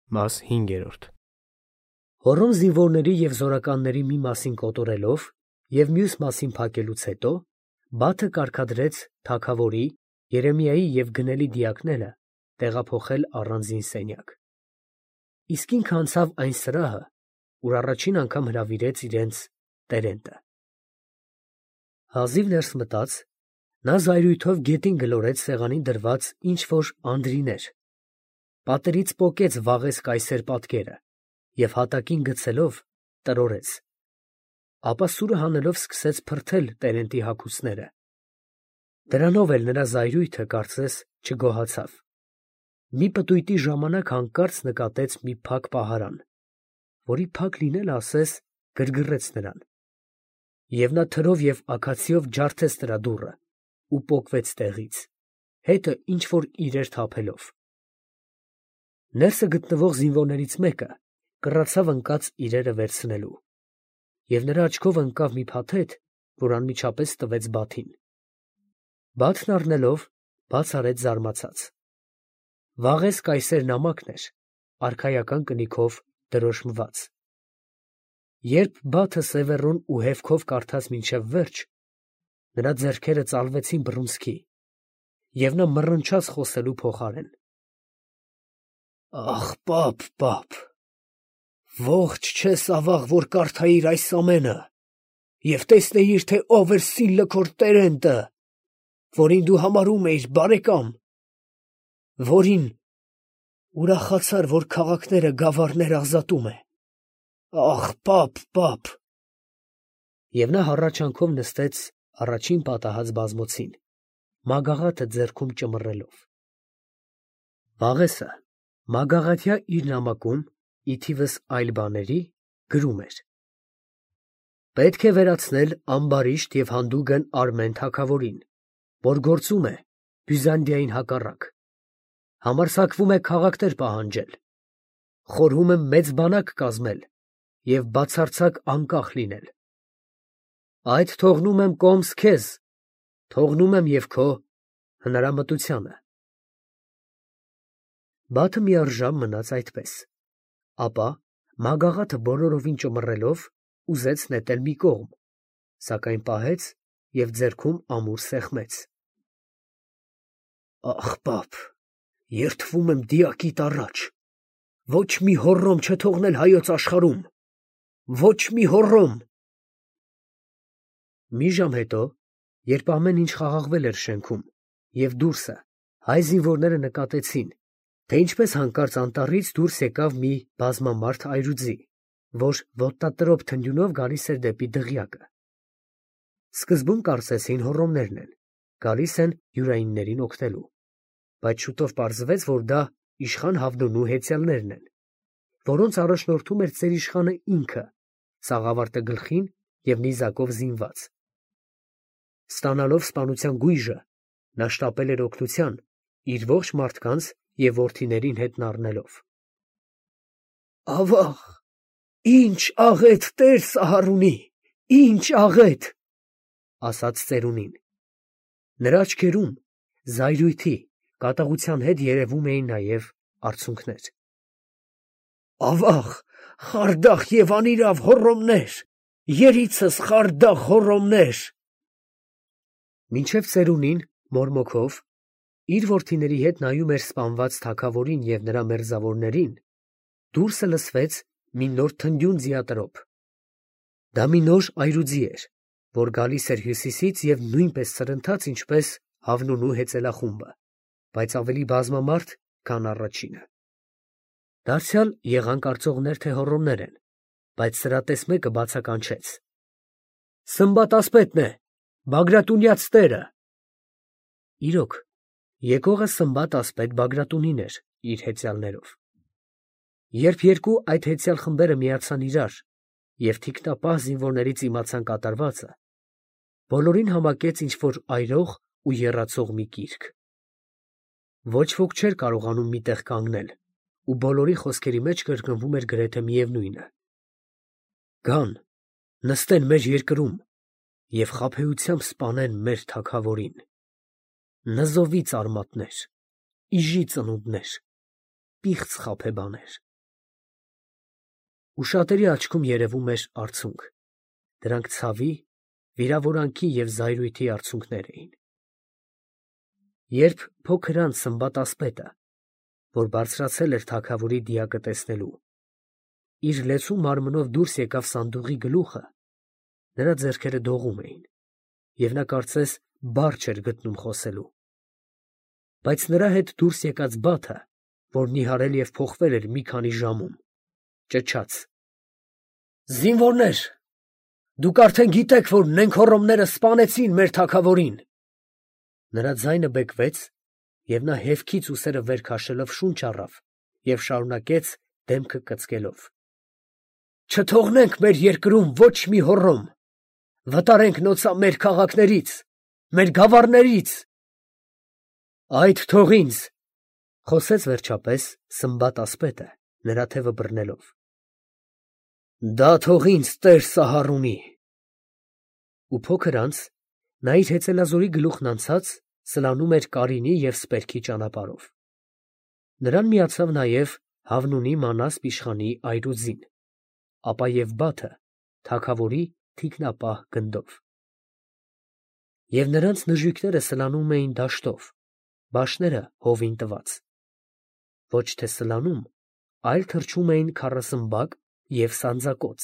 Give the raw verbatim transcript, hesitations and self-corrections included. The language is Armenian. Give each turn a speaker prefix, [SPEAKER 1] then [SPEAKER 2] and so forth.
[SPEAKER 1] Մաս հինգերորդ
[SPEAKER 2] Հոռոմ զինվորների և զորականների մի մասին կոտորելով և մյուս մասին փակելուց հետո Բաթը կարգադրեց թագավորի, Երեմիայի և գնելի դիակները տեղափոխել առանձին սենյակ. իսկ ինքն անցավ այն սրահը, ուր առաջին անգամ հրավիրեց իրենց տերենտը. հազիվ ներս մտած, նա զայրույթով գետին գլորեց սեղանին դրված ինչ֊որ անդրիներ, պատերից պոկեց վաղես կայսեր պատկերը և հատակին գցելով տրորեց, ապա սուրը հանելով սկսեց փրթել տերենտի հագուստները. դրանով էլ նրա զայրույթը, կարծես, չգոհացավ. մի պտույտի ժամանակ հանկարծ նկատեց մի փակ պահարան, որի փակ լինելը, ասես, գրգռեց նրան, և նա թրով և աքացիով ջարդեց նրա դուռը ու պոկվեց տեղից, հետը ինչ֊որ իրեր թափելով. ներսը գտնվող զինվորներից մեկը կռացավ ընկած իրերը վերցնելու, և նրա աչքով ընկավ մի փաթեթ, որ անմիջապես տվեց Բաթին. Բաթն առնելով, բաց արեց զարմացած. վաղես կայսեր նամակն էր, արքայական կնիքով դրոշմված. երբ Բաթը սևեռուն ու հևքով կարդաց մինչև վերջ, նրա ձեռքերը ծալվեցին բռունցքի, և նա մռնչաց խոսելու փոխարեն. «Ախ, պապ, պապ, ողջ չես ավաղ, որ կարդայիր այս ամենը և տեսնեիր, թե ով էր Սիլլը քոր տերենտը, որին դու համարում էիր բարեկամ, որին ուրախացար, որ քաղաքները գավառներ ազատում է, ախ, պապ, պապ»։ Եվ նա հառաչանքով նստեց առաջին պատահած բազմոցին, մագաղաթը ձեռքում ճմռելով. Վաղեսը մագաղաթյա իր նամակում, ի թիվս այլ բաների, գրում էր. «Պետք է վերացնել ամբարիշտ և հանդուգն Արմեն թագավորին, որ գործում է Բյուզանդիային հակառակ, համարձակվում է քաղաքներ պահանջել, խորհում եմ մեծ բանակ կազմել և բացարձակ անկախ լինել. այդ թողնում եմ կոմս քեզ, թողնում եմ և քո հնարամտությանը»։ Բաթը մի առժամ մնաց այդպես, ապա, մագաղաթը բոլորովին ճմռելով, ուզեց նետել մի կողմ, սակայն պահեց և ձեռքում ամուր սեղմեց. «Ախ, պապ, երդվում եմ դիակիտ առաջ, ոչ մի հոռոմ չթողնել հայոց աշխարհում, ոչ մի հոռոմ»։ Մի ժամ հետո, երբ ամեն ինչ խաղաղվել էր շենքում, և դուրսը հայ զինվորները նկատեցին, թե ինչպես հանկարծ անտառից դուրս եկավ մի բազմամարդ այրուձի, որ ոտնատրոփ թնդյունով գալիս էր դեպի դղյակը, սկզբում կարծեցին հոռոմներն են, գալիս են յուրայիններին օգնելու, բայց շուտով պարզվեց, որ դա իշխան Հավնոնու հեծյալներն են, որոնց առաջնորդում էր ծերիշխանը ինքը, սաղավարտը գլխին և նիզակով զինված։ Ստանալով սպանության գույժը, նա շտապել էր օգնության, իր ողջ մարդկանց և որդիներին հետն առնելով։ «Ավաղ, ի՜նչ աղետ տեր Սահարունի, ի՜նչ աղետ», ասաց ծերունին։ Նրա աչքերում զայրույթի, կատաղության հետ երևում էին նաև արցունքներ։ «Ավաղ, խարդախ և անիրավ հոռոմներ, երիցս խարդախ հոռոմներ»։ Մինչև ծերունին, մորմոքով, իր որդիների հետ նայում էր սպանված թագավորին և նրա մերձավորներին, դուրսը լսվեց մի նոր թնդյուն ձիատրոփ. դա մի նոր այրուձի էր, որ գալիս էր հյուսիսից և նույնպես սրընթաց, ինչպես Հավնունու հեծելախումբը, բայց ավելի բազմամարդ, քան առաջինը։ Դարձյալ եղան կարծողներ, թե հոռոմներ են, բայց սրատես մեկը բացականչեց. «Սմբատ ասպետն է, Բագրատունյաց տերը»։ Իրոք, եկողը Սմբատ ասպետ Բագրատունին էր իր հեծյալներով։ Երբ երկու այդ հեծյալ խմբերը միացան իրար և թիկնապահ զինվորներից իմացան կատարվածը, բոլորին համակեց ինչ֊որ այրող ու եռացող մի կիրք։ Ոչ ոք չէր կարողանում մի տեղ կանգնել, ու բոլորի խոսքերի մեջ կրկնվում էր գրեթե միևնույնը. «Գան, նստեն մեր երկրում և խաբեությամբ սպանեն մեր թագավորին. նզովի ծարմատներ, իժի ծնունդներ, պիղծ խաբեբաներ»։ ու շատերի աչքում երևում էր արցունք. դրանք ցավի, վիրավորանքի և զայրույթի արցունքներ էին։ Երբ փոքր անց Սմբատ ասպետը, որ բարձրացել էր թագավորի դիակը տեսնելու, իր լեցուն մարմնով դուրս եկավ սանդուղի գլուխը, նրա ձեռքերը դողում էին, և նա կարծես բառ չէր գտնում խոսելու։ Բայց նրա հետ դուրս եկած Բաթը, որ նիհարել և փոխվել էր մի քանի ժամում, ճչաց. «Զինվորնե՛ր, դուք արդեն գիտեք, որ նենգ֊հոռոմները սպանեցին մեր թագավորին»։ Նրա ձայնը բեկվեց, և նա հևքից ուսերը վեր քաշելով շունչ առավ և շարունակեց դեմքը կծկելով. «Չթողնենք մեր երկրում ոչ մի հոռոմ. վտարենք նոցա մեր քաղաքներից, մեր գավառներից»։ «Այդ թող ինձ», ֊ խոսեց վերջապես Սմբատ ասպետը, նրա թևը բռնելով. «դա թող ինձ տեր Սահարունի»։ Ու փոքր անց նա իր հեծելազորի գլուխն անցած սլանում էր Կարինի և Սպերքի ճանապարհով։ Նրան միացավ նաև Հավնունի Մանասպ իշխանի այրուձին, ապա և Բաթը թագավորի թիկնապահ գնդով։ Եվ նրանց նժույգները սլանում էին դաշտով, բաշները հովին տված. ոչ թե սլանում, այլ թռչում էին քառասմբակ և սանձակոծ։